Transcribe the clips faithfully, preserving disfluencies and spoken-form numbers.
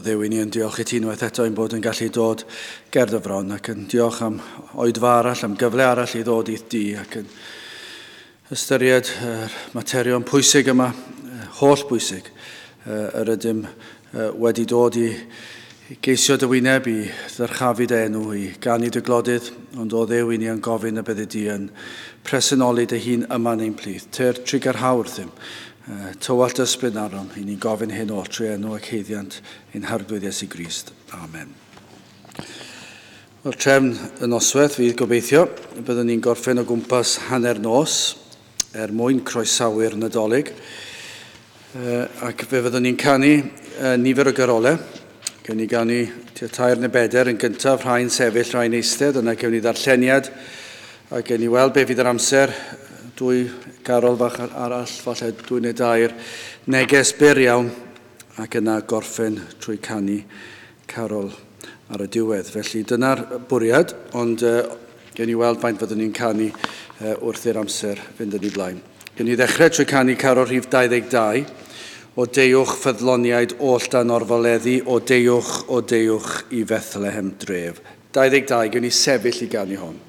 Dduw, i ni yn diolch i ti unwaith eto ein bod yn gallu dod ger dy fron ac yn diolch am oedfa arall, am gyfle arall i ddod i'th di ac yn ystyried yr materion pwysig yma, holl bwysig, yr ydym wedi dod i geisio dy wyneb, i ddyrchafu dy enw, i ganu dy glodydd, ond o Dduw i ni yn gofyn y byddi di yn presenoli dy hun yma yn ein plith. Tyr trugarha wrthym, tywallt ysbryd arnom, i ni'n gofyn hyn oll trwy enw ac haeddiant ein Harglwydd Iesu Grist. Amen. Wel, trefn y noswaith fydd gobeithio, byddwn ni'n gorffen o gwmpas hanner nos er mwyn croesawu'r Nadolig, ac fe fyddwn ni'n canu nifer o garolau. Gewn ni ganu tua tair neu bedair yn gyntaf, rhai'n sefyll, rhai'n eistedd, yna gewn ni ddarlleniad, a gewn ni weld be fydd yr amser, dwy garol fach arall, falle dwy neu dair, neges byr iawn, ac yna gorffen trwy canu carol ar y diwedd. Felly dyna'r bwriad, ond uh, gewn ni weld faint fyddwn ni'n canu uh, wrth i'r amser fynd yn ei blaen. Gewn ni ddechrau trwy canu carol rhif dau ddeg dau, o deuwch ffyddloniaid oll dan orfoleddu, o deuwch, o deuwch i Fethlehem dref. dau ddeg dau, gewn ni sefyll i ganu hon.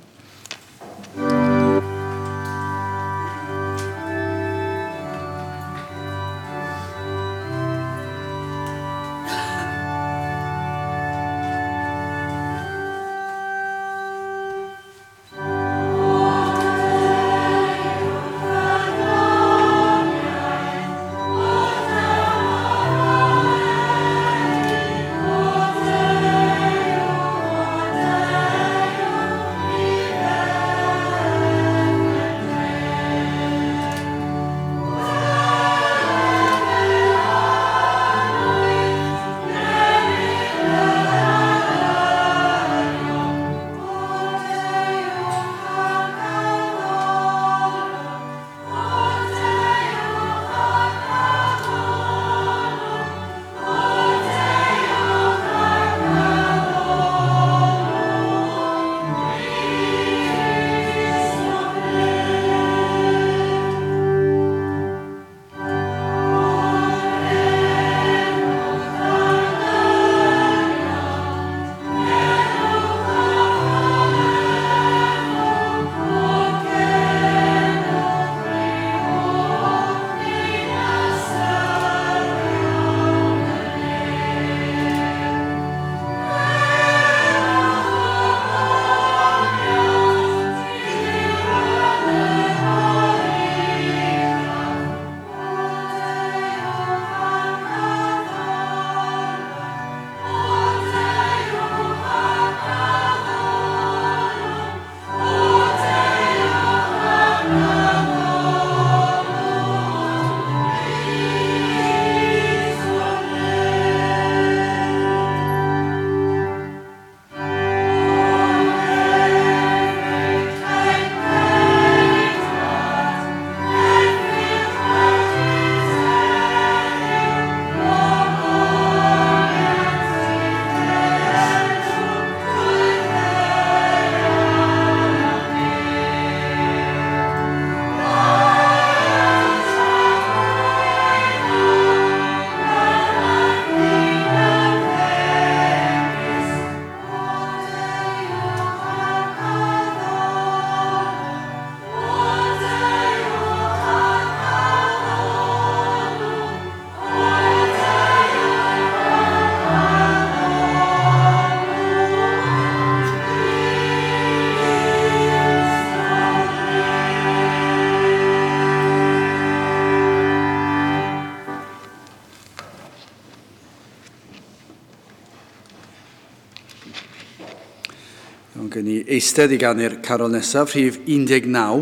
Eistedd i ganu'r carol nesaf, rhif un deg naw.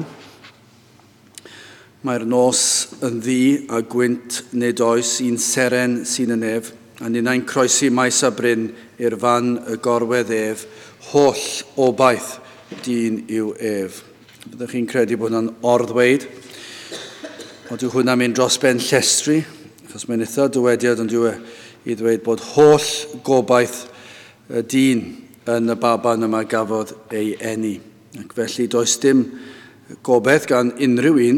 Mae'r nos yn ddu a gwynt nid oes un seren sy'n y nef, a ninnau'n croesi maes a bryn i'r fan y gorwedd ef, holl obaith dyn yw ef. Byddwch chi'n credu bod hwnna'n orddweud, ond yw hwnna'n mynd dros ben llestri, achos mae'n eitha dywediad ond yw e i ddweud bod holl gobaith y dyn yn y baban yma gafodd ei eni. Ac felly does dim gobaith gan unrhyw un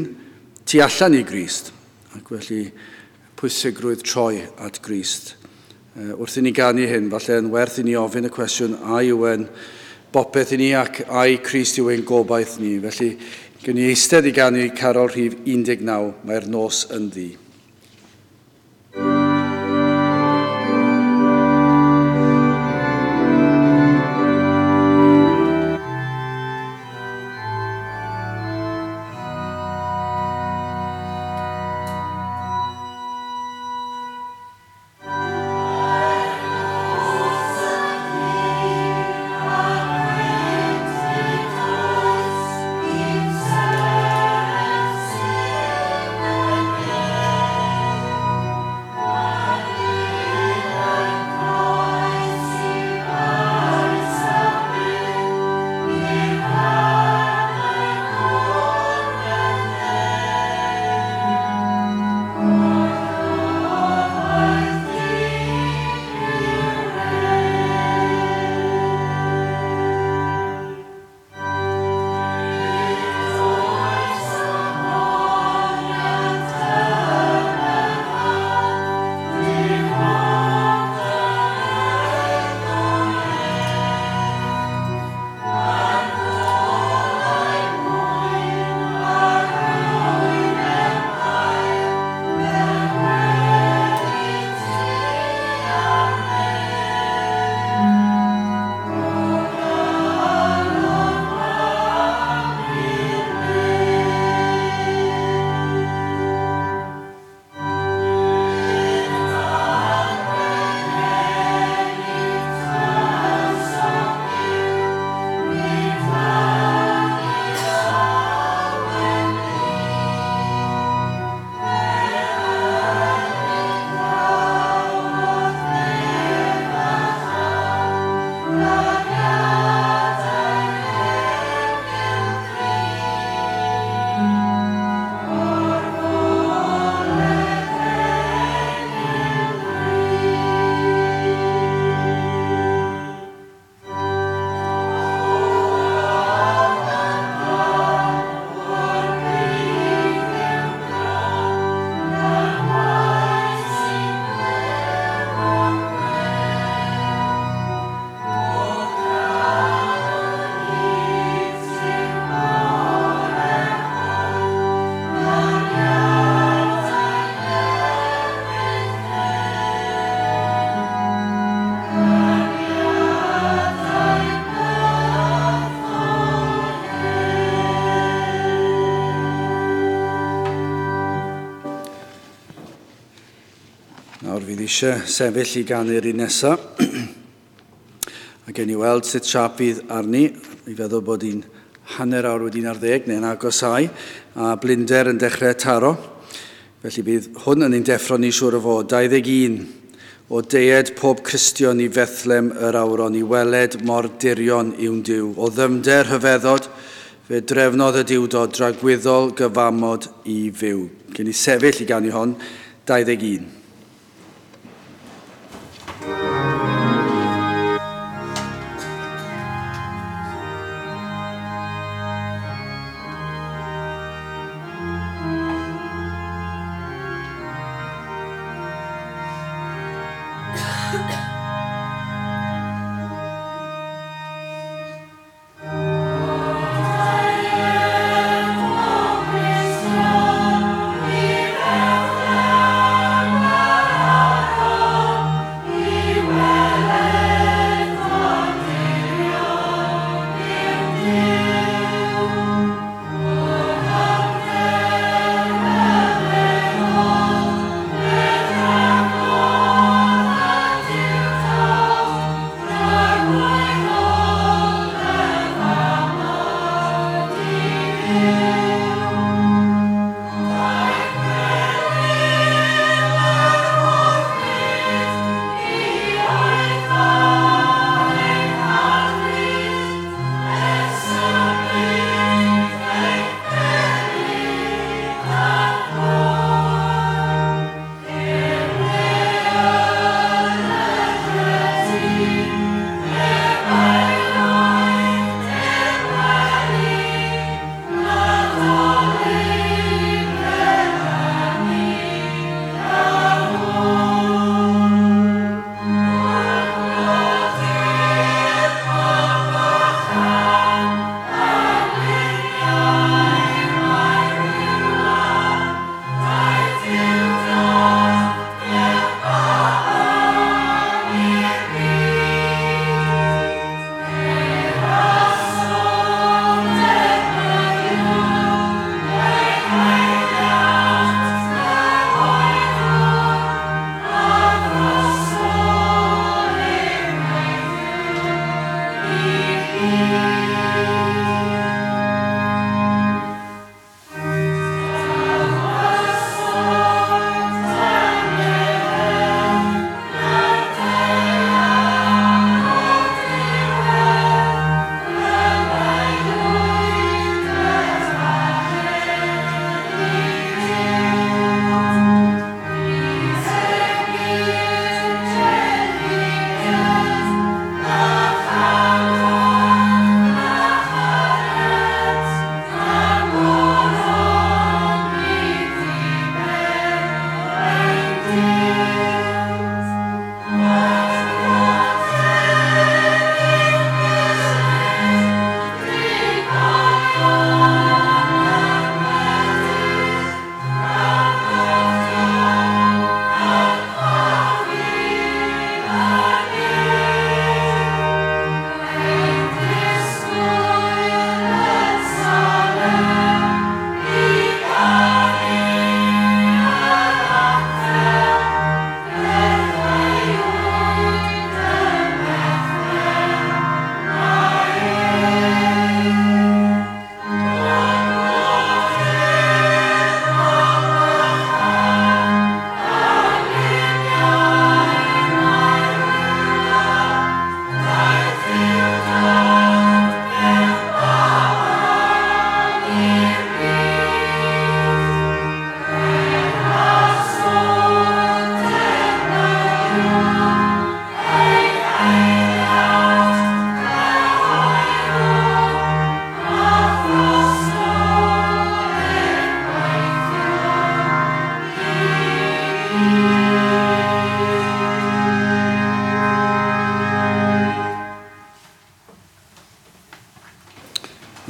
tu allan i Grist. Ac felly pwysigrwydd troi at Grist Wrth i ni ganu hyn, falle yn werth i ni ofyn y cwestiwn a yw e'n bopeth i ni ac ai Crist yw ein gobaith ni. Felly, gewn ni eistedd i ganu carol rhif un deg naw, mae'r nos yn ddu. Eisiau sefyll i ganu'r un nesaf. A gen i weld sut siap fydd arni. I feddwl bod hi'n hanner awr wedi'n ar ddeg neu'n agosau, a blinder yn dechrau taro. Felly bydd hwn yn ein deffro ni siŵr o fod. dau ddeg un o deued pob Cristion i Fethlem yr awron i weled mor dirion yw'n Duw. O ddyfnder rhyfeddod, fe drefnodd y Duwdod dragwyddol gyfamod i fyw. Gen i sefyll i ganu hon, dau ddeg un. Oh,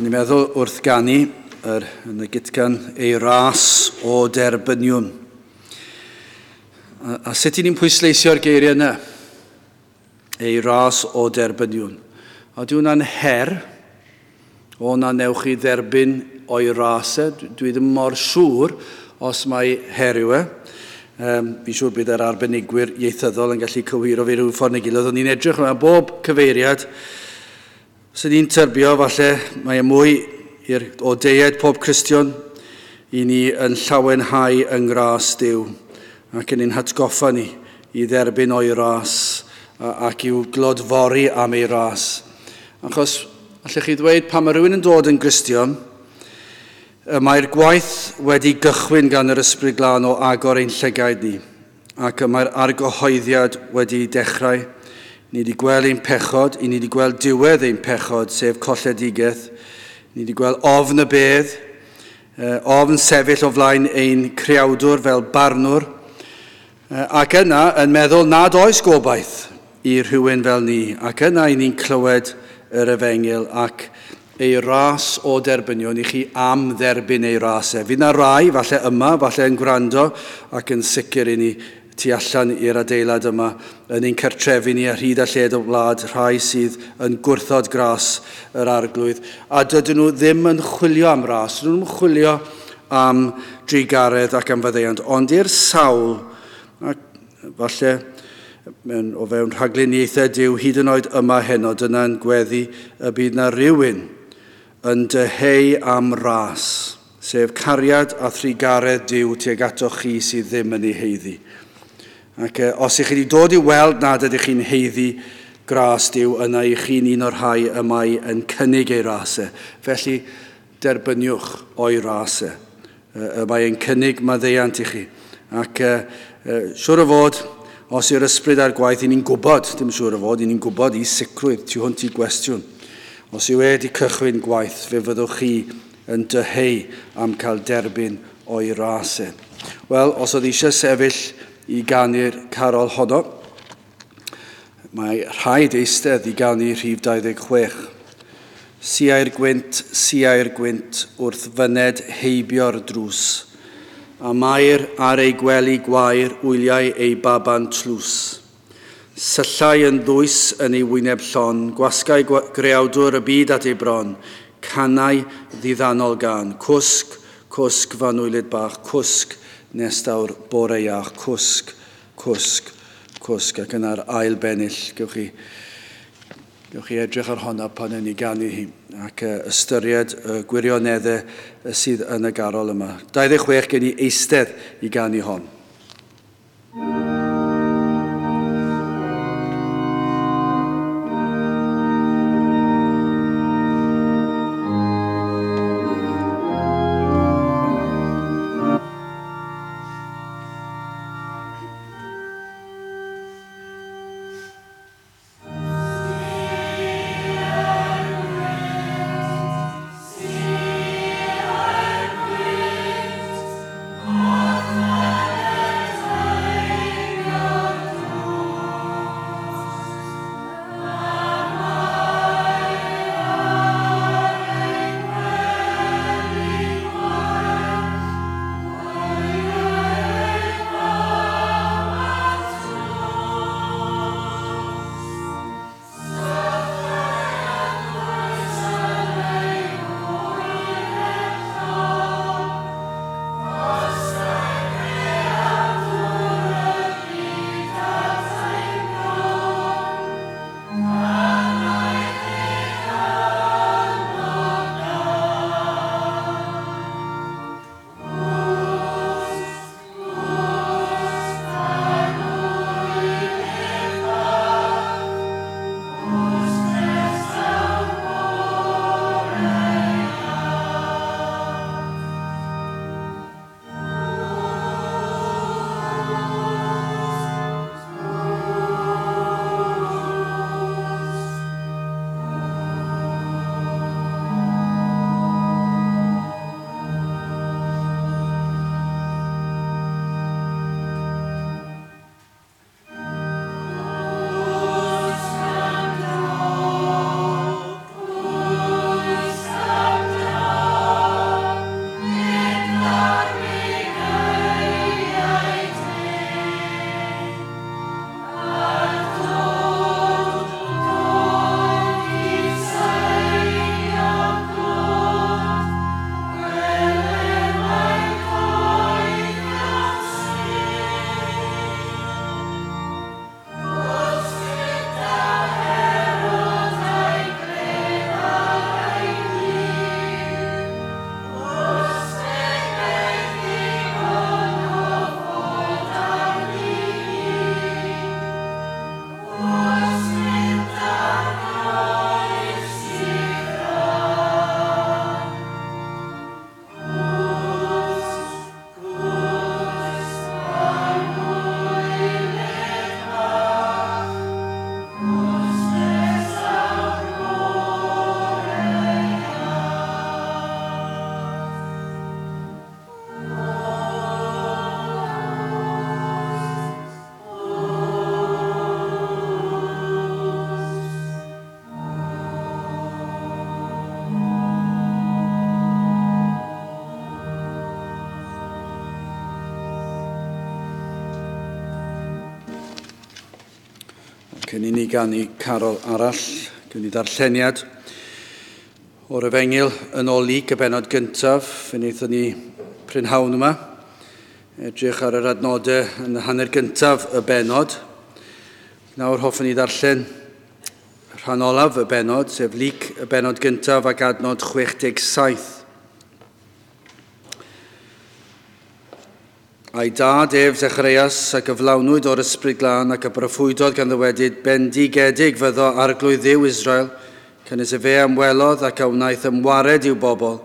O'n i'n meddwl wrth ganu yr, yn y gitgan ei ras o derbyniwn. A, a sut i ni'n pwysleisio'r geiriau yna? Ei ras o derbyniwn. A di hwnna'n her, o na newch chi dderbyn o'i ras e. Dwi ddim mor siŵr os mae her yw e. Um, fi'n siŵr bydd yr arbenigwyr ieithyddol yn gallu cywiro fi rhyw ffordd neu gilydd. O'n i'n edrych yma bob cyfeiriad. Sy'n ni'n tyrbio, falle, mae e mwy i'r, o deied pob Cristion i ni yn llawenhau yng ngras Duw ac yn ein hatgoffa ni i dderbyn o'i ras ac i'w glodfori am ei ras. Achos, allech chi ddweud, pan mae rhywun yn dod yn Gristion, mae'r gwaith wedi gychwyn gan yr Ysbryd Glân o agor ein llygaid ni, ac mae'r argyhoeddiad wedi dechrau. Ni wedi gweld ein pechod, i ni wedi gweld diwedd ein pechod, sef colledigaeth. Ni wedi gweld ofn y bedd, ofn sefyll o flaen ein creawdwr fel barnwr, ac yna yn meddwl nad oes gobaith i rhywun fel ni, ac yna i ni'n clywed yr efengyl ac ei ras o derbynion i chi am dderbyn ei ras e. Fydd na rai, falle yma, falle yn gwrando, ac yn sicr i ni tu allan i'r adeilad yma, yn ein cartrefi ni ar hyd a lled o wlad, rhai sydd yn gwrthod gras yr arglwydd. A dydyn nhw ddim yn chwilio am ras, dydyn nhw'n chwilio am drugaredd ac am faddeuant, ond i'r sawl, ac falle mewn, o fewn rhagluniaethau Duw, hyd yn oed yma heno, dyna'n gweddi y bydd na rhywun yn dyheu am ras, sef cariad a thrugaredd Duw tuag atoch chi sydd ddim yn ei haeddu. Ac eh, os ych chi wedi dod i weld nad ydych chi'n haeddu gras Duw, yna i chi'n un o'r rhai y mae yn cynnig ei ras e. Felly, derbyniwch o'i ras e. Y mae yn cynnig maddeuant i chi. Ac eh, eh, siŵr o fod, os yw'r ysbryd ar gwaith, i ni'n gwybod, dim siŵr o fod, i ni'n gwybod i sicrwydd tu hwnt i gwestiwn. Os yw wedi cychwyn gwaith, fe fyddwch chi yn dyheu am cael derbyn o'i ras e. Wel, os oedd eisiau sefyll i ganu'r carol honno, mae rhaid eistedd i ganu rhif dau ddeg chwech. Siai'r gwynt, siai'r gwynt wrth fyned heibio'r drws, a Mair ar ei gwely gwair wyliau ei baban tlws. Syllai yn ddwys yn ei wyneb llon, gwasgai greawdwr y byd at ei bron, canau ddiddanol gan, cwsg, cwsg fanwylyd bach, cwsg nes daw'r bore iach, cwsg, cwsg, cwsg. Ac yna'r ail bennill, gewch chi, gewch chi edrych ar honna pan yn ei ganu hi, ac ystyried y gwirioneddau sydd yn y garol yma. dau ddeg chwech gen i eistedd i ganu hon. Oh, Cyn i ni ganu carol arall, gwn i ddarlleniad o'r Efengyl yn ôl Luc y bennod gyntaf. Fe wnaethon ni prynhawn yma edrych ar yr adnodau yn y hanner gyntaf y bennod. Nawr hoffwn i ddarllen rhan olaf y bennod, sef Luc y bennod gyntaf ac adnod chwech deg saith. A'i dad ef Zacharias a gyflawnwyd o'r Ysbryd Glân ac a broffwydodd gan ddywedyd, bendigedig fyddo arglwydd Dduw Israel, canys efe ymwelodd ac a wnaeth ymwared i'w bobl,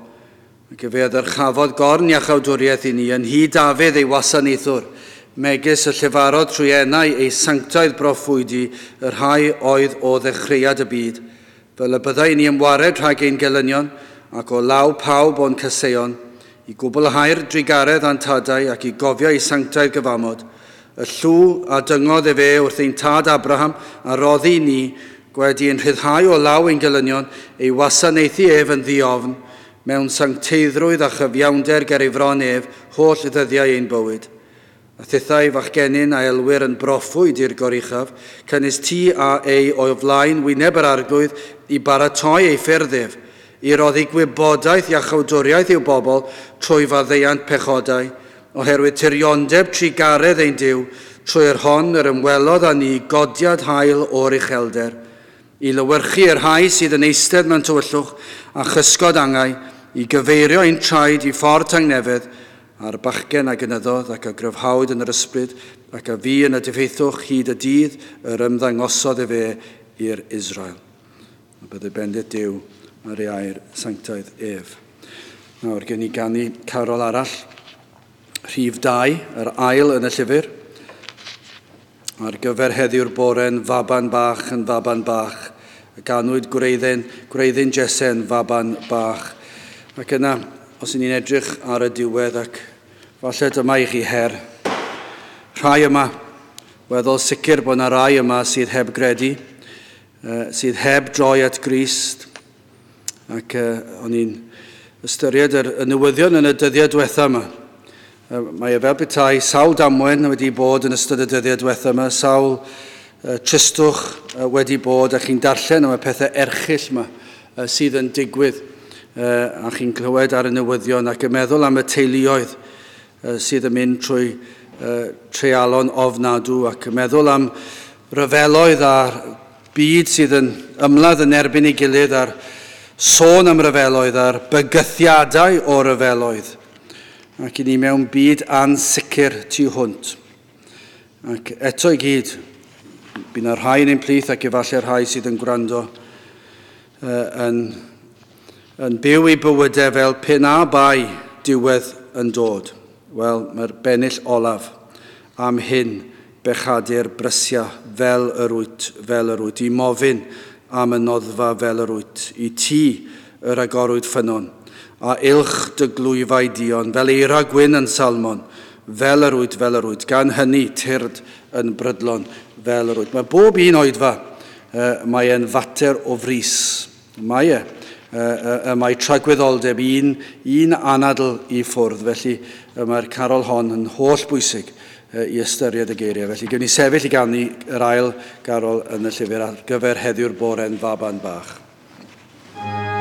ac efe a ddyrchafodd gorn iachawdwriaeth i ni, yn nhŷ Dafydd ei wasanaethwr, megis y llefarodd trwy enau ei sanctaidd broffwydi y rhai oedd o ddechreuad y byd, fel y byddai ni ymwared rhag ein gelynion ac o law pawb o'n caseion, i gwblhau'r drugaredd a'n tadau ac i gofio ei sanctaidd gyfamod, y llw a dyngodd efe wrth ein tad Abraham a roddi ni, gwedi yn rhyddhau o law ein gelynion, ei wasanaethu ef yn ddiofn, mewn sancteiddrwydd a chyfiawnder ger ei fron ef, holl ddyddiau ein bywyd. A thithau fachgenyn a elwir yn broffwyd i'r goruchaf, canys ti a ei o'i flaen wyneb yr arglwydd i baratoi ei ffyrdd ef, i roddi gwybodaeth iachawdwriaeth i'w bobl trwy faddeuant pechodau, oherwydd tiriondeb trugaredd ein Duw, trwy'r hon yr ymwelodd â ni godiad haul o'r uchelder, i lywyrchu yr rhai sydd yn eistedd mewn tywyllwch a chysgod angau, i gyfeirio ein traed i ffordd tangnefedd, a'r bachgen a gynyddodd ac a gryfhawyd yn yr ysbryd, ac a fu yn y diffeithwch hyd y dydd yr ymddangosodd efe i'r Israel. A byddai bendith Duw ar ei air sanctaidd ef. Nawr gen i ganu carol arall, rhif dau, yr ail yn y llyfr, ar gyfer heddiw'r bore'n faban bach yn faban bach, ganwyd gwreiddyn, gwreiddyn Jese'n faban bach. Ac yna, os y'n ni'n edrych ar y diwedd, ac falle dyma i chi her. Rhai yma, weddol sicr bod yna rai yma sydd heb gredu, sydd heb droi at Grist, ac uh, o'n i'n ystyried yr, y newyddion yn y dyddiau diwetha yma. Uh, mae e fel petai sawl damwen wedi bod yn ystod y dyddiau diwetha yma, sawl uh, tristwch uh, wedi bod, a chi'n darllen am y pethau erchyll yma uh, sydd yn digwydd, uh, a chi'n clywed ar y newyddion ac yn meddwl am y teuluoedd uh, sydd yn mynd trwy uh, treialon ofnadw, ac yn meddwl am ryfeloedd a'r byd sydd yn ymladd yn erbyn ei gilydd a'r sôn am ryfeloedd a'r bygythiadau o ryfeloedd, ac i ni mewn byd ansicr tu hwnt. Ac eto i gyd, bydd yna rhai yn ein plith ac efallai'r rhai sydd yn gwrando uh, yn, yn byw eu bywydau fel pe na bai diwedd yn dod. Wel, mae'r bennill olaf am hyn bechadur brysia fel yr wyt, fel yr wyt, i mofyn am y noddfa fel yr wyt, i ti yr agorwyd ffynnon, a ilch dy glwyfau dion, fel eira gwyn yn Salmon, fel yr wyt, fel yr wyt, gan hynny tyrd yn brydlon, fel yr wyt. Mae bob un oedfa, uh, mae e'n fater o frys. Mae e, uh, uh, mae tragwyddoldeb un, un anadl i ffwrdd, felly uh, mae'r carol hon yn holl bwysig i ystyried y geiriau. Felly, gewn ni sefyll i ganu yr ail garol yn y llyfr ar gyfer heddiw'r bore'n faban bach. Bye.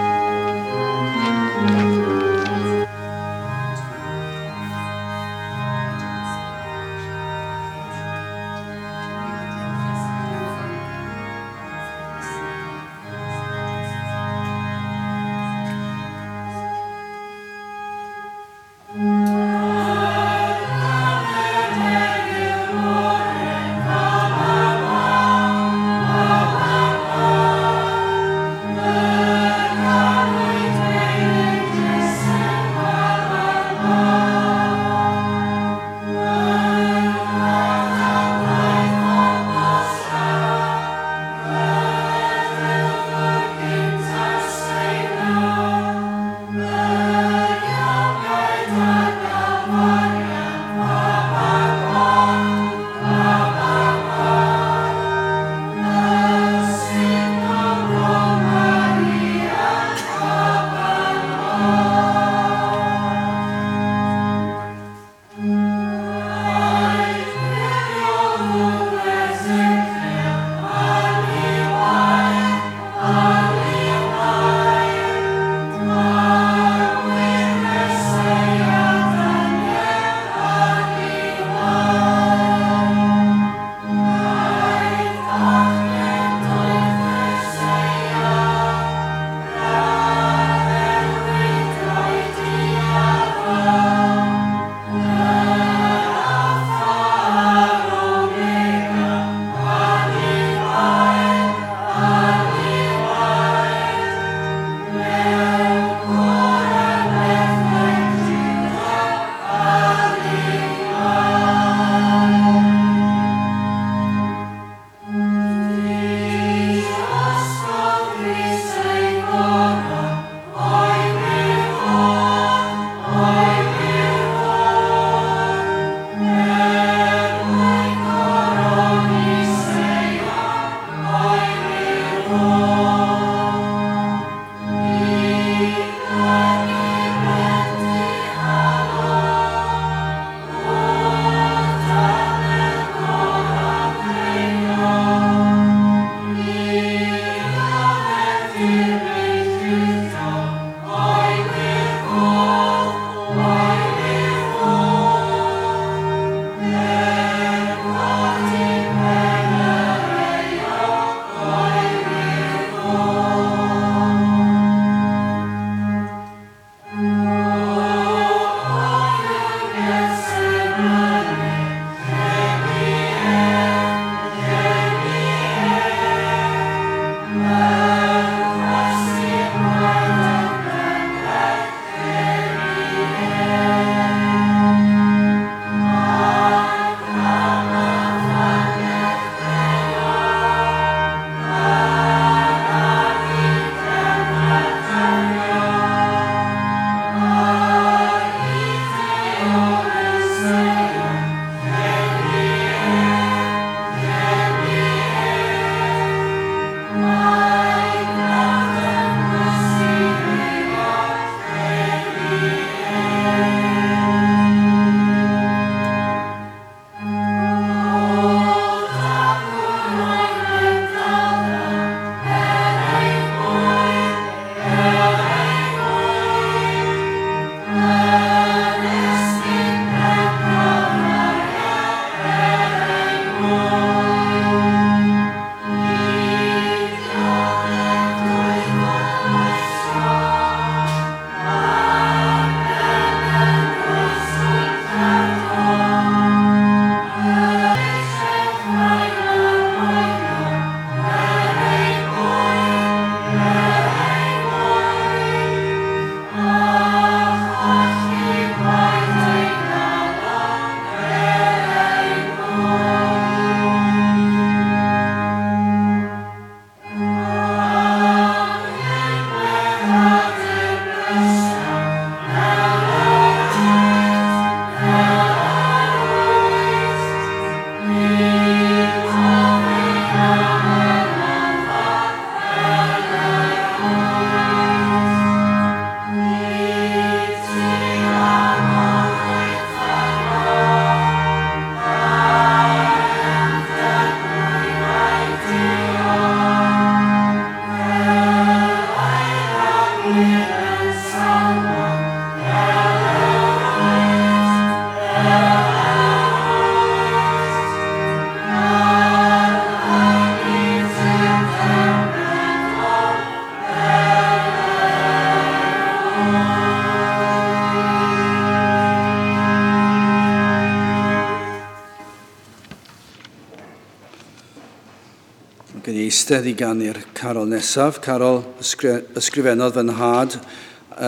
Gen i eistedd i ganu'r carol nesaf. Carol ysgrifennodd fy nhad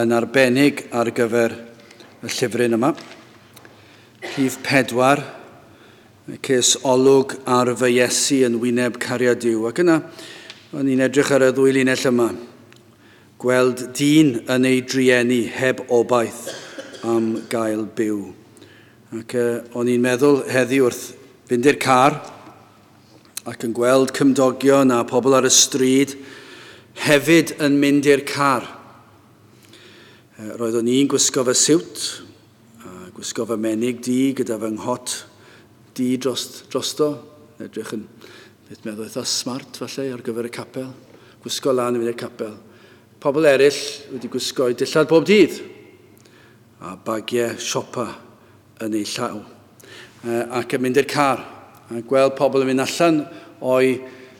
yn arbennig ar gyfer y llyfryn yma. Rhif pedwar, ces olwg ar fy Iesu yn wyneb cariad Duw. Ac yna, o'n i'n edrych ar y ddwy linell yma. Gweld dyn yn ei drueni heb obaith am gael byw. Ac uh, o'n i'n meddwl heddi wrth fynd i'r car ac yn gweld cymdogion a pobl ar y stryd hefyd yn mynd i'r car. Roeddwn i'n gwisgo fy siwt, a gwisgo fy menig du gyda fy nghot du dros, drosto. Edrych yn, beth meddwl, eitha smart falle ar gyfer y capel. Gwisgo lan i fynd i'r capel. Pobl eraill wedi gwisgo eu dillad bob dydd a bagiau siopa yn eu llaw. Ac yn mynd i'r car. A gweld pobl yn mynd allan o'i,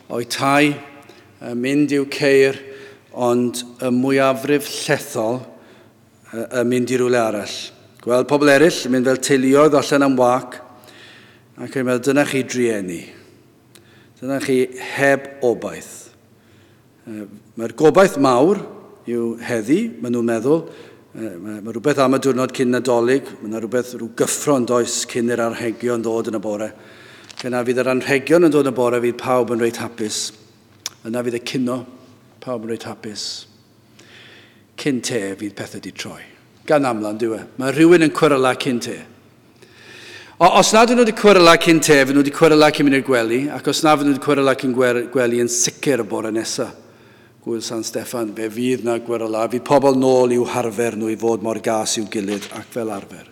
o'i tai, mynd i'w ceir, ond y mwyafrif llethol yn mynd i rywle arall. Gweld pobl eraill yn mynd fel teuluoedd allan am wac, ac yn meddwl, dyna chi drueni. Dyna chi heb obaith. Mae'r gobaith mawr yw heddi, maen nhw'n meddwl. Mae, mae rhywbeth am y diwrnod cyn Nadolig, mae yna rhywbeth rhyw gyffro yn does cyn i'r anrhegion ddod yn y bore. Yna fydd yr anrhegion yn dod yn y bore, fydd pawb yn reit hapus. Yna fydd y cino, pawb yn reit hapus. Cyn te fydd pethau di troi. Gan amla, yn dyw e. Mae rhywun yn cweryla cyn te. O, os nad ydyn nhw wedi cweryla cyn te, fydden nhw wedi cweryla cyn mynd i'r gwely, ac os na fydden nhw wedi cweryla cyn gwely yn sicr y bore nesaf, Gwyl San Steffan, fe fydd na gweryla, fydd pobl nôl i'w harfer nhw i fod mor gas i'w gilydd ac fel arfer.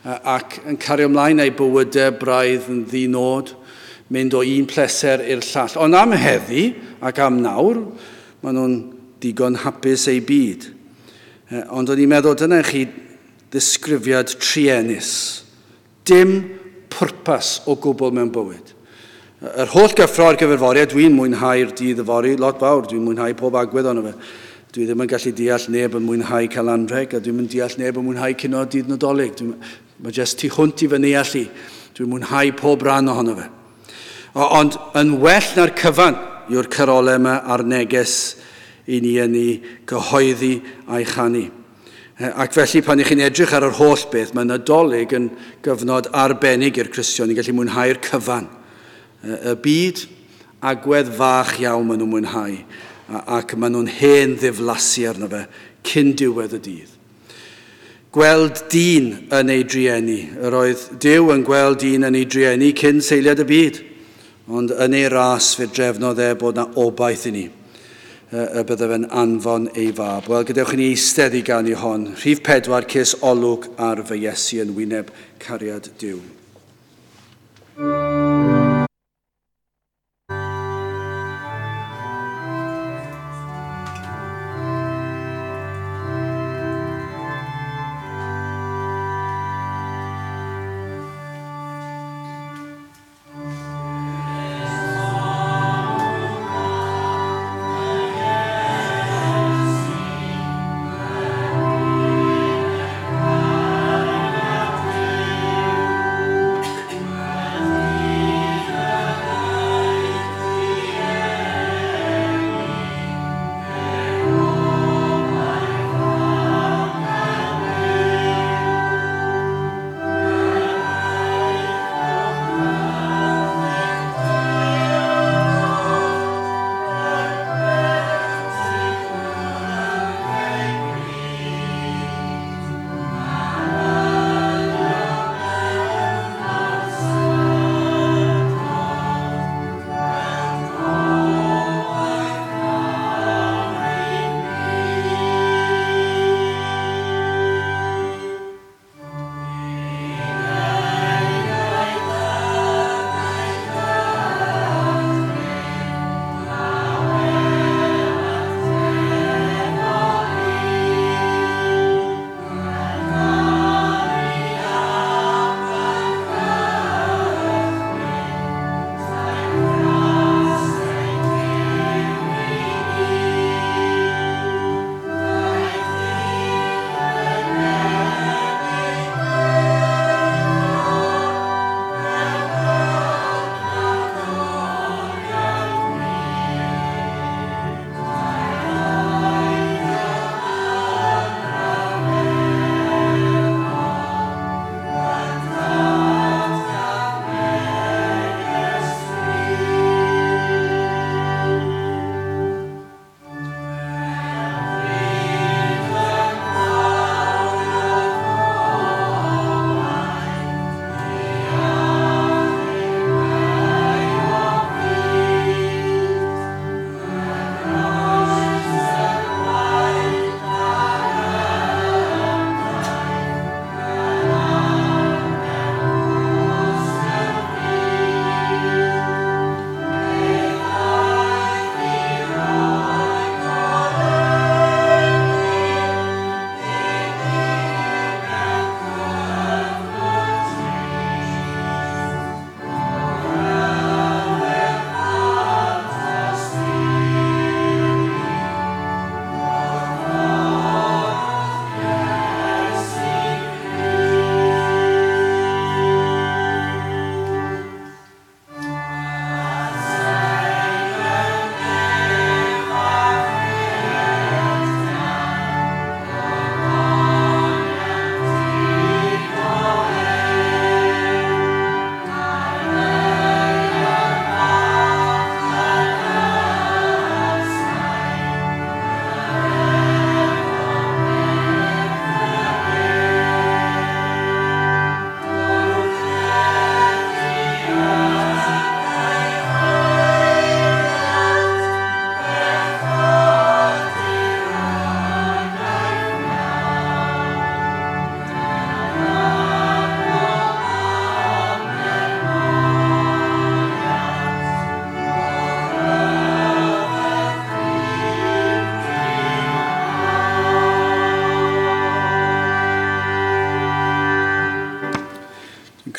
Ac yn cario ymlaen â'i bywydau braidd yn ddinod, mynd o un pleser i'r llall. Ond am heddi ac am nawr, maen nhw'n digon hapus eu byd. Ond o'n i'n meddwl, dyna chi ddisgrifiad truenus. Dim pwrpas o gwbl mewn bywyd. Yr holl gyffro ar gyfer fory, a dwi'n mwynhau'r dydd yfory, lot fawr, dwi'n mwynhau pob agwedd ono fe. Dwi ddim yn gallu deall neb yn mwynhau cael anrheg, a dwi'n yn deall neb yn mwynhau cinio dydd Nadolig. Dwi'n, mae jyst tu hwnt i fy neall i. Dwi'n mwynhau pob rhan ohono fe. Ond yn well na'r cyfan yw'r carolau yma a'r neges i ni yn ei gyhoeddi a'i chanu. Ac felly pan ych chi'n edrych ar yr holl beth, mae Nadolig yn gyfnod arbennig i'r Cristion i gallu mwynhau'r cyfan. Y byd, agwedd fach iawn maen nhw'n mwynhau, ac maen nhw'n hen ddiflasu arno fe cyn diwedd y dydd. Gweld dyn yn ei drueni. Yr oedd Duw yn gweld dyn yn ei drueni cyn seiliad y byd, ond yn ei ras fe drefnodd e bod na obaith i ni, y bydde fe'n anfon ei fab. Wel, gadewch i ni eistedd i ganu hon. Rhif pedwar, ces olwg ar fy Iesu yn wyneb cariad Duw. Thank you.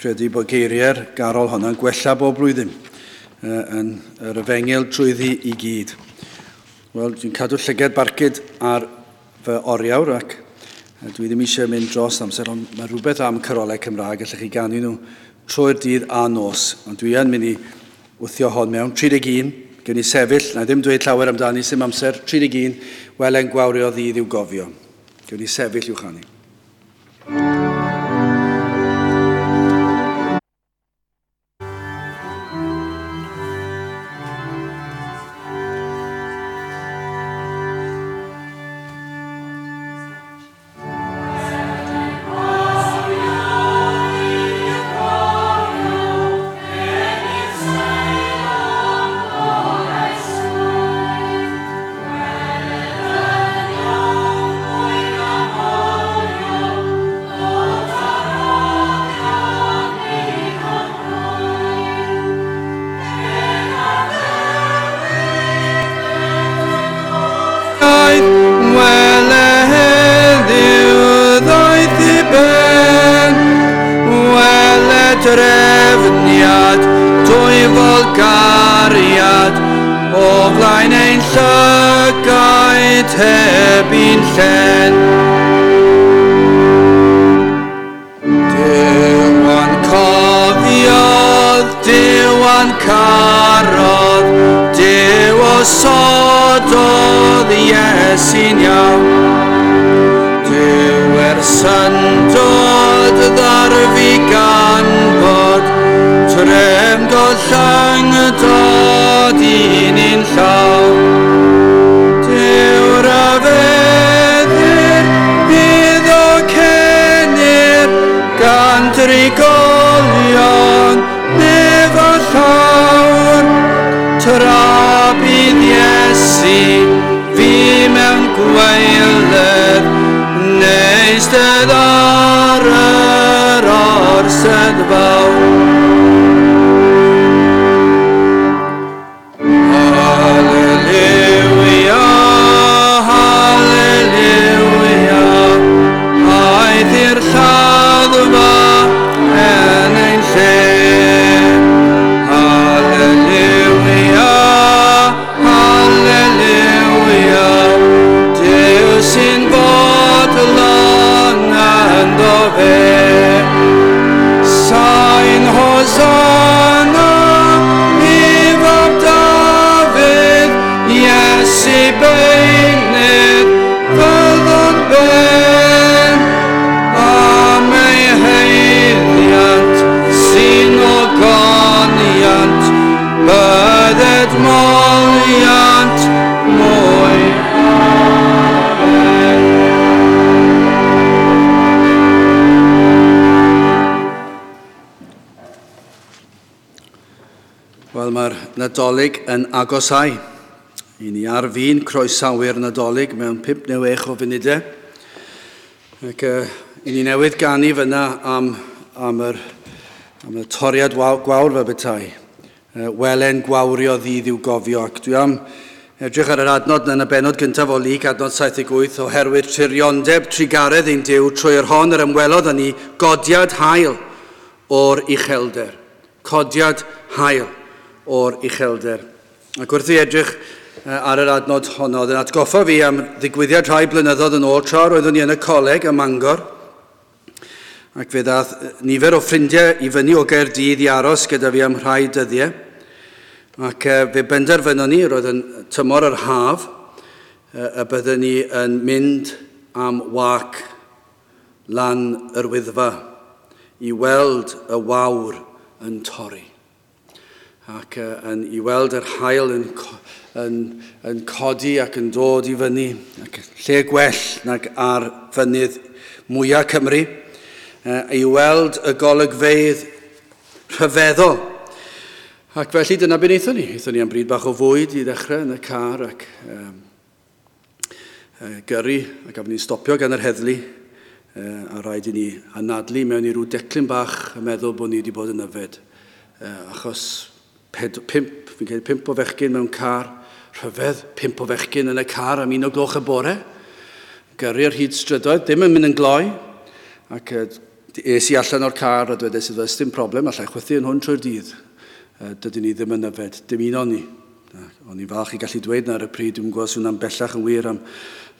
Credu bod geiriau'r garol honna'n gwella bob blwyddyn yn yr efengyl trwyddi i gyd. Wel, dwi'n cadw llygad barcud ar fy oriawr ac dwi ddim eisiau mynd dros amser, ond mae rhywbeth am carolau Cymraeg, allwch chi ganu nhw trwy'r dydd a nos. Ond dwi yn mynd i wthio hon mewn. tri deg un, gen i sefyll, na ddim dweud llawer amdani, sim amser, tri deg un, wele'n gwawrio ddydd i'w gofio. Gen i sefyll i'w chanu. Drefniad, dwyfol gariad, o flaen ein llygaid heb un llen. Duw a'n cofiodd, Duw a'n carodd, Duw osododd Iesu'n iawn. Duw er syndod ddarfu gan fod trefn gollyngdod un un llaw. Duw rhyfeddir iddo cenir gan drigolion nef a llawr. Tra bydd Iesu fi mewn gwaeledd neistedd ar yr orsedd fawr. Hallelujah, hallelujah, aeth i'r lladdfa yn ein lle. Hallelujah, hallelujah, Duw sy'n bodlon ynddo fe. Sain Hosanna i fab Dafydd, Iesu beunydd fyddwn ben. Am ei haeddiant sy'n ogoniant, bydded moliant mwy. Wel, mae'r Nadolig yn agosau. I ni ar fin croesawu'r Nadolig mewn pump neu wech o funudau. Ac uh, i ni newydd ganu fyna am, am, yr, am y toriad gwawr fel petai. Uh, welen gwawrio ddydd i'w gofio. Ac dwi am edrych ar yr adnod yn y bennod gyntaf o Luc, adnod saith deg wyth, oherwydd tiriondeb trugaredd ein Duw trwy yr hon yr ymwelodd â ni godiad hael o'r uchelder. Codiad hael o'r uchelder. Ac wrth i edrych ar yr adnod honno, oedd yn atgoffa fi am ddigwyddiad rhai blynyddoedd yn ôl tra roeddwn i yn y coleg ym Mangor. Ac fe ddaeth nifer o ffrindiau i fyny o Gaerdydd i aros gyda fi am rhai dyddiau. Ac fe benderfynon ni, roedd yn tymor yr haf, y byddwn ni yn mynd am wac lan yr Wyddfa i weld y wawr yn torri. Ac uh, yn, i weld yr haul yn, yn, yn codi ac yn dod i fyny, ac lle gwell nag ar fynydd mwyaf Cymru, uh, i weld y golygfeydd rhyfeddol. Ac felly dyna beth wnaethon ni. Wnaethon ni am bryd bach o fwyd i ddechrau yn y car ac um, uh, gyrru, ac gafon ni'n stopio gan yr heddlu, uh, a rhaid i ni anadlu mewn i ryw declyn bach yn meddwl bod ni wedi bod yn yfed, uh, achos Ped, pump, fi'n credu pump o fechgyn mewn car, rhyfedd, pump o fechgyn yn y car am un o gloch y bore, gyrru ar hyd strydoedd, ddim yn mynd yn gloi, ac uh, Es i allan o'r car a dwedais iddo, dim problem, allai chwythu yn hwn trwy'r dydd. Dydyn ni ddim yn yfed, dim un o'n ni. O'n i'n falch i gallu dweud na ar y pryd, dwi'n gwybod swn am bellach yn wir am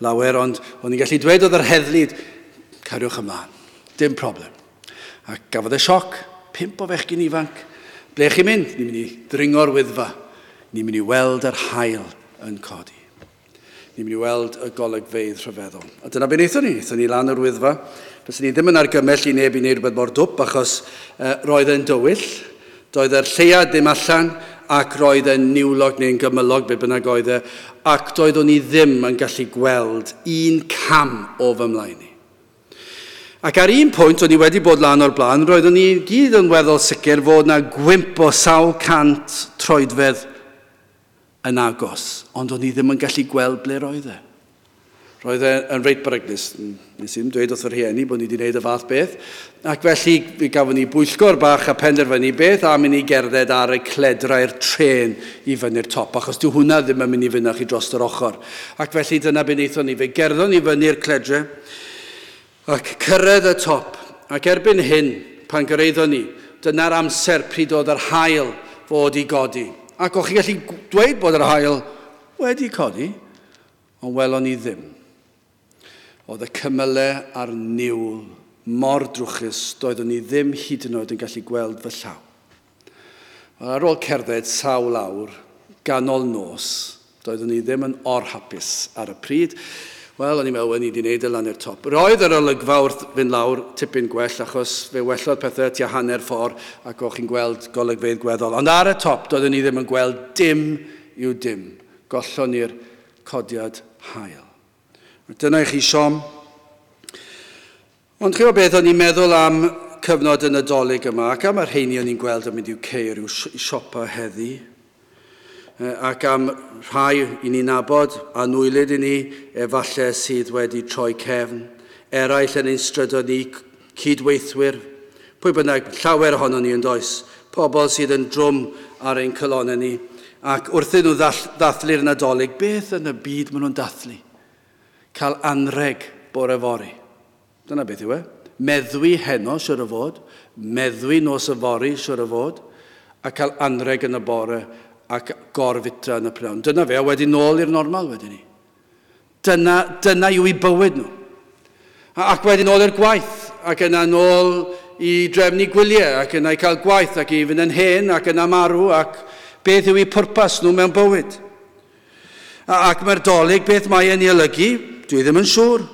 lawer, ond o'n i'n gallu dweud oedd yr heddlu, cariwch ymlaen, dim problem. A gafodd e sioc, pump o fechgyn ifanc. Ble chi'n mynd? Ni'n mynd i ddringo'r Wyddfa. Ni'n mynd i weld yr haul yn codi. Ni'n mynd i weld y golygfeydd rhyfeddol. A dyna be wnaethon ni. Wnaethon ni lan yr Wyddfa. Fyswn ni ddim yn argymell i neb i wneud rhywbeth mor dwp, achos uh, roedd e'n dywyll, doedd yr lleuad ddim allan, ac roedd e'n niwlog neu'n gymylog, be bynnag oedd e, ac doeddwn ni ddim yn gallu gweld un cam o fy mlaen i. Ac ar un pwynt, o'n i wedi bod lan o'r blaen, roeddwn ni gyd yn weddol sicr fod na gwymp o sawl cant troedfedd yn agos, ond o'n i ddim yn gallu gweld ble roedd e. Roedd e yn reit beryglus. Nes i ddim dweud wrth fy rhieni bod ni wedi gwneud y fath beth. Ac felly fe gafon ni bwyllgor bach a penderfynu beth am i ni gerdded ar y cledrau'r trên i fyny'r top, achos dyw hwnna ddim yn mynd i fynd â chi dros yr ochr. Ac felly dyna be wnaethon ni. Fe gerddon ni fyny'r cledrau ac cyrraedd y top. Ac erbyn hyn, pan gyrraeddon ni, dyna'r amser pryd oedd yr haul fod i godi. Ac o'ch chi'n gallu dweud bod yr haul wedi codi, ond welon ni ddim. Oedd y cymylau a'r niwl mor drwchus, doeddwn ni ddim hyd yn oed yn gallu gweld fy llaw. Wel, ar ôl cerdded sawl awr, ganol nos, doeddwn ni ddim yn orhapus ar y pryd. Wel, o'n i'n meddwl, ni wedi gwneud e lan i'r top. Roedd yr olygfa wrth fynd lawr tipyn gwell, achos fe wellodd pethau tua hanner ffordd ac o'ch chi'n gweld golygfeydd gweddol. Ond ar y top, doeddwn ni ddim yn gweld dim i'w dim. Gollon ni'r codiad haul. Dyna i chi siom. Ond chi'n gwybod beth, o'n i'n meddwl am cyfnod y Nadolig yma, ac am yr rheini o'n i'n gweld yn mynd i'w ceir i'w siopa heddi, ac am rhai i ni'n nabod, anwylyd i ni, efallai sydd wedi troi cefn, eraill yn ein strydoedd ni, cydweithwyr, pwy bynnag, llawer ohonon ni yn does, pobl sydd yn drwm ar ein calonnau ni, ac wrthyn nhw ddathlu'r Nadolig, beth yn y byd maen nhw'n dathlu? Cael anreg bore fory. Dyna beth yw e. Meddwi heno, siwr o fod, meddwi nos yfory, siwr o fod, a cael anreg yn y bore ac gorfitra yn y prynhawn. Dyna fe, a wedyn nôl i'r normal wedyn ni. Dyna, dyna yw eu bywyd nhw. Ac wedyn nôl i'r gwaith, ac yna nôl i drefnu gwyliau, ac yna i cael gwaith, ac i fynd yn hen, ac yna marw, ac beth yw eu pwrpas nhw mewn bywyd. Ac mae'r Dolig, beth mae e'n ei olygu, dwi ddim yn siŵr.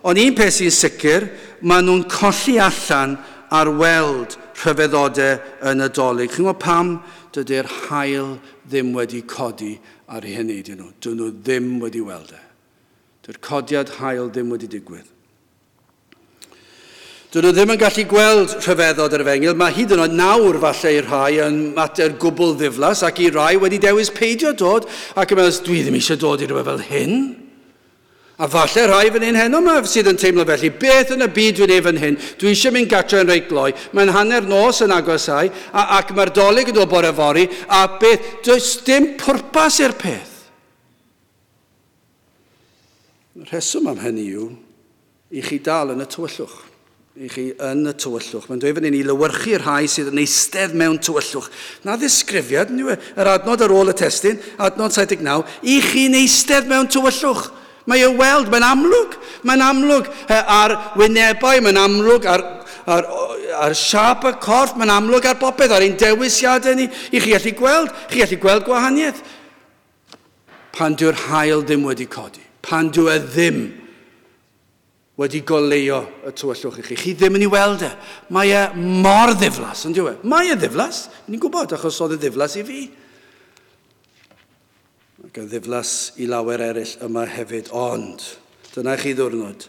Ond un peth sy'n sicr, maen nhw'n colli allan ar weld rhyfeddodau yn y Dolig. Chi'n gwybod pam dydy'r haul ddim wedi codi ar eu heneidiau nhw? Dyn nhw ddim wedi weld e. Dydy'r codiad haul ddim wedi digwydd. Dyn nhw ddim yn gallu gweld rhyfeddod yr efengyl. Mae hyd yn oed nawr falle i rhai yn mater gwbl ddiflas ac i rai wedi dewis peidio dod ac yn meddwl, dwi ddim eisiau dod i rhywbeth fel hyn. A falle rhai fan hyn heno yma sydd yn teimlo felly, beth yn y byd dwi'n ei fan hyn? Dwi eisiau mynd gatre yn reit gloi, mae'n hanner nos yn agosau, a, ac mae'r Dolig yn dod bore fory, a beth, does dim pwrpas i'r peth. Y rheswm am hynny yw, i chi dal yn y tywyllwch. I chi yn y tywyllwch. Mae'n dweud fan hyn i lywyrchu rhai sydd yn eistedd mewn tywyllwch. Na ddisgrifiad, yr adnod ar ôl y testun, adnod saith deg naw, i chi'n eistedd mewn tywyllwch. Mae e weld, mae'n amlwg, mae'n amlwg ar wynebau, mae'n amlwg ar, ar, ar siâp y corff, mae'n amlwg ar bopeth, ar ein dewisiadau ni, i chi allu gweld, chi allu gweld gwahaniaeth. Pan dyw'r haul ddim wedi codi, pan dyw e ddim wedi goleuo y tywyllwch i chi, chi ddim yn ei weld e. Mae e mor ddiflas, yn dyw e? Mae e ddiflas, ni'n gwybod, achos oedd e ddiflas i fi. Ac yn ddiflas i lawer eraill yma hefyd, ond dyna chi ddwrnod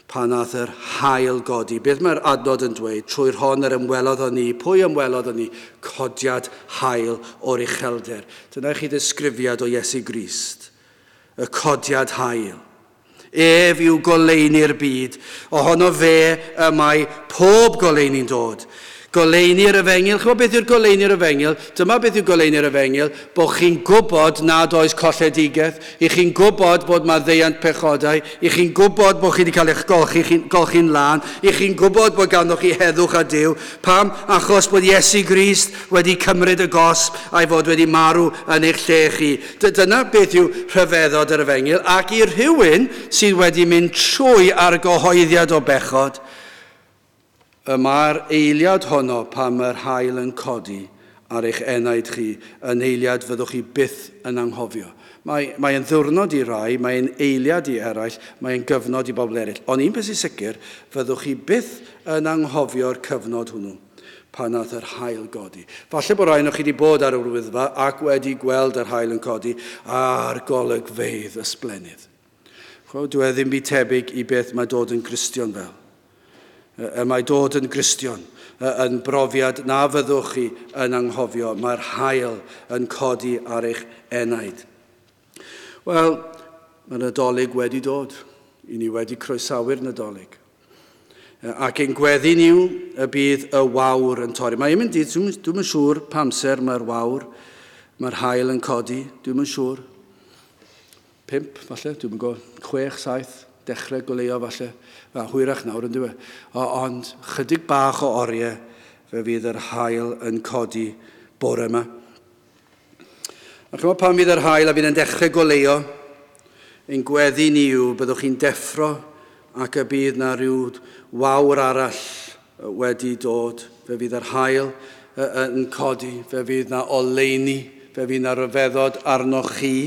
pan nath yr haul godi. Beth mae'r adnod yn dweud? Trwy'r hon yr ymwelodd â ni. Pwy ymwelodd â ni? Codiad haul o'r uchelder. Dyna chi ddisgrifiad o Iesu Grist. Y codiad haul. Ef yw goleuni'r byd. Ohono fe y mae pob goleuni'n dod. Goleuni'r efengyl. Chymod beth yw'r goleuni'r efengyl? Dyma beth yw goleuni'r efengyl, bod chi'n gwybod nad oes colledigaeth, i chi'n gwybod bod maddeuant pechodau, i chi'n gwybod bod chi wedi cael eich golchi, golchi'n lân, i chi'n gwybod bod ganddoch chi heddwch a Duw. Pam? Achos bod Iesu Grist wedi cymryd y gosb a'i fod wedi marw yn eich lle chi. Dyna beth yw rhyfeddod yr efengyl, ac i rhywun sydd wedi mynd trwy argyhoeddiad o bechod, y mae'r eiliad honno pan mae'r haul yn codi ar eich enaid chi, yn eiliad fyddwch chi byth yn anghofio. Mae, mae'n ddiwrnod i rai, mae'n eiliad i eraill, mae'n gyfnod i bobl eraill. Ond un peth sy'n sicr, fyddwch chi byth yn anghofio'r cyfnod hwnnw pan nath yr haul godi. Falle bod rai ohonoch chi wedi bod ar yr Wyddfa ac wedi gweld yr haul yn codi a'r golygfeydd ysblennydd. Chwa, dwi e ddim byd tebyg i beth mae dod yn Gristion fel. Y mae dod yn Gristion yn brofiad na fyddwch chi yn anghofio. Mae'r haul yn codi ar eich enaid. Wel, mae Nadolig wedi dod. I ni wedi croesawu'r Nadolig. Ac ein gweddi ni yw y bydd y wawr yn torri. Mae'n mynd i, dwi'm yn siŵr pa amser mae'r wawr, mae'r haul yn codi, dwi'm yn siŵr. Pump, falle, dwi'm yn gwybod, chwech, saith. Dechrau goleuo falle, a hwyrach nawr yn dyw e. Ond chydig bach o oriau fe fydd yr haul yn codi bore yma. A chymod pan fydd yr haul a fydd yn dechrau goleuo, ein gweddi ni yw byddwch chi'n deffro ac y bydd na rhyw wawr arall wedi dod. Fe fydd yr haul yn codi, fe fydd na oleuni, fe fydd na ryfeddod arnoch chi.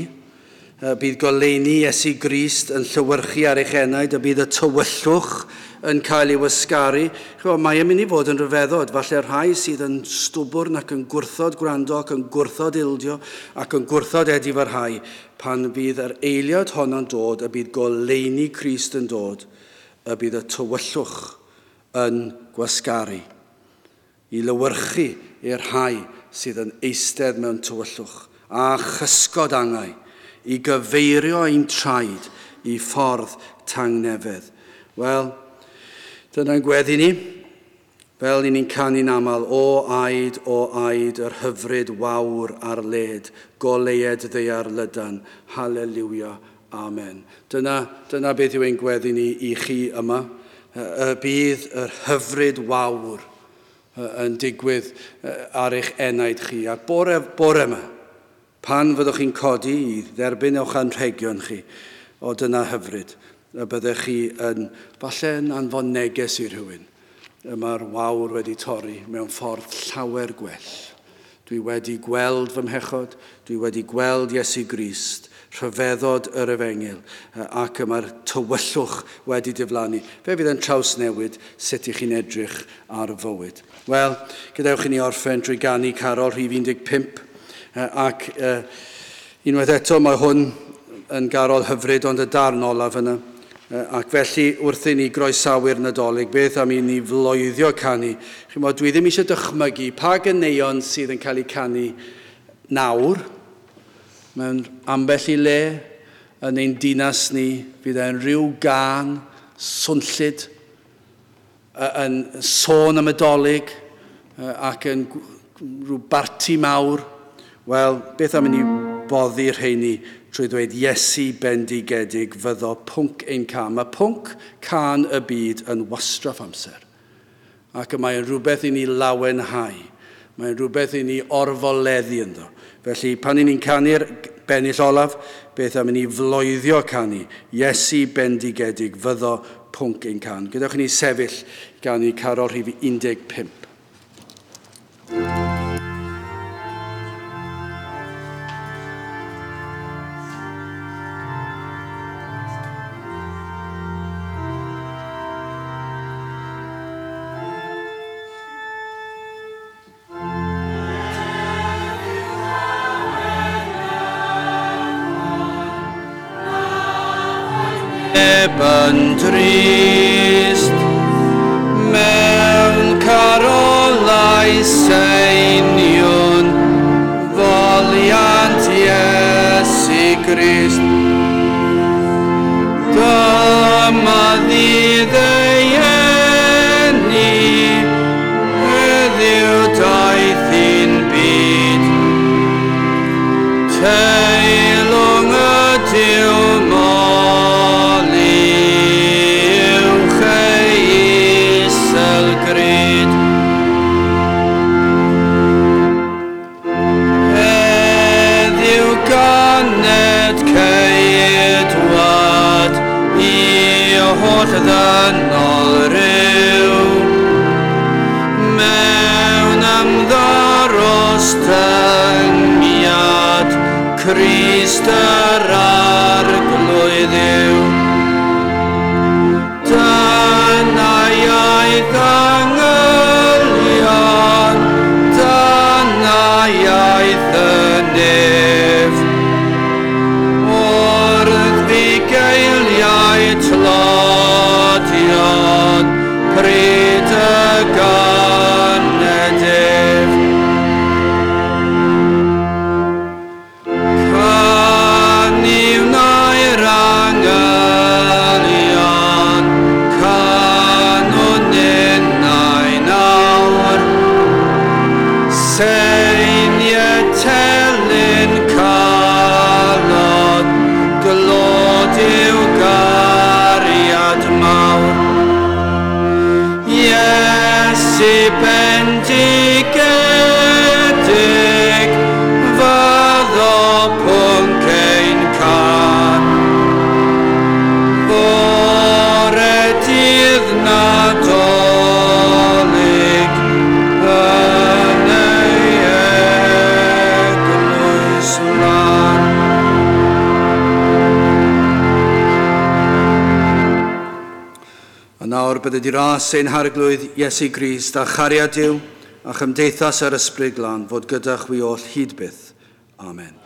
Bydd goleuni Iesu Grist yn llewyrchu ar eich enaid, a bydd y tywyllwch yn cael ei wasgaru. Chymod, mae e'n mynd i fod yn rhyfeddod. Falle rhai sydd yn stwbwrn ac yn gwrthod gwrando ac yn gwrthod ildio ac yn gwrthod edifarhau, pan fydd yr eiliad honno'n dod, y bydd goleuni Crist yn dod, y bydd y tywyllwch yn gwasgaru i lewyrchu i'r rhai sydd yn eistedd mewn tywyllwch a chysgod angau, i gyfeirio ein traed i ffordd tangnefedd. Wel, dyna'n gweddi ni, fel ni'n canu'n aml, o aid, o aid, yr hyfryd wawr ar led, goleued ddaear lydan, haleluia, amen. Dyna, dyna beth yw ein gweddi ni i chi yma. Y bydd yr hyfryd wawr yn digwydd ar eich enaid chi. A bore, bore yma, pan fyddwch chi'n codi i dderbyn o'ch anrhegion chi, o dyna hyfryd, y byddech chi yn, falle yn anfon neges i rhywun. Y mae'r wawr wedi torri mewn ffordd llawer gwell. Dwi wedi gweld fy mhechod, dwi wedi gweld Iesu Grist, rhyfeddod yr efengyl, ac y mae'r tywyllwch wedi diflannu. Fe fydd yn trawsnewid sut i chi'n edrych ar fywyd. Wel, gadewch i ni orffen drwy ganu carol rhif un deg pump. Ac uh, unwaith eto mae hwn yn garol hyfryd, ond y darn olaf yna. Uh, ac felly wrth i ni groesawu'r Nadolig, beth am i ni floeddio canu? Chimod, dwi ddim eisiau dychmygu pa ganeuon sydd yn cael eu canu nawr, mewn ambell i le yn ein dinas ni, fydd e'n rhyw gân swnllyd yn sôn am y Dolig ac yn rhyw barti mawr. Wel, beth am i ni boddi'r rheini trwy ddweud Iesu bendigedig fyddo pwnc ein cân. Mae pwnc cân y byd yn wastraff amser. Ac y mae'n rhywbeth i ni lawenhau. Mae'n rhywbeth i ni orfoleddu ynddo. Felly, pan i ni'n canu'r bennill olaf, beth am i ni floeddio canu Iesu bendigedig fyddo pwnc ein cân. Gadewch i ni sefyll ganu carol rhif un deg pump. Yn drist mewn carolau seinion foliant Iesu Grist. Dyma ddydd ei eni, heddiw holl ddynol ryw. Mewn ymddarostyngiad Crist yr Arglwydd yw. Dyna iaith angylion, dyna iaith y nef. Wrth fugeiliau tlodion, pryd y ganed ef. Canu wnai'r angylion, canwn ninnau nawr. Seiniau telyn calon, glod i'w gariad mawr. Iesu bendigedig, fyddo pwnc ein cân. Fore dydd Nadolig, yn ei eglwys lân. A nawr bydde di ras ein Harglwydd Iesu Grist a chariad Duw a chymdeithas yr Ysbryd Glân fod gyda chwi oll hyd byth. Amen.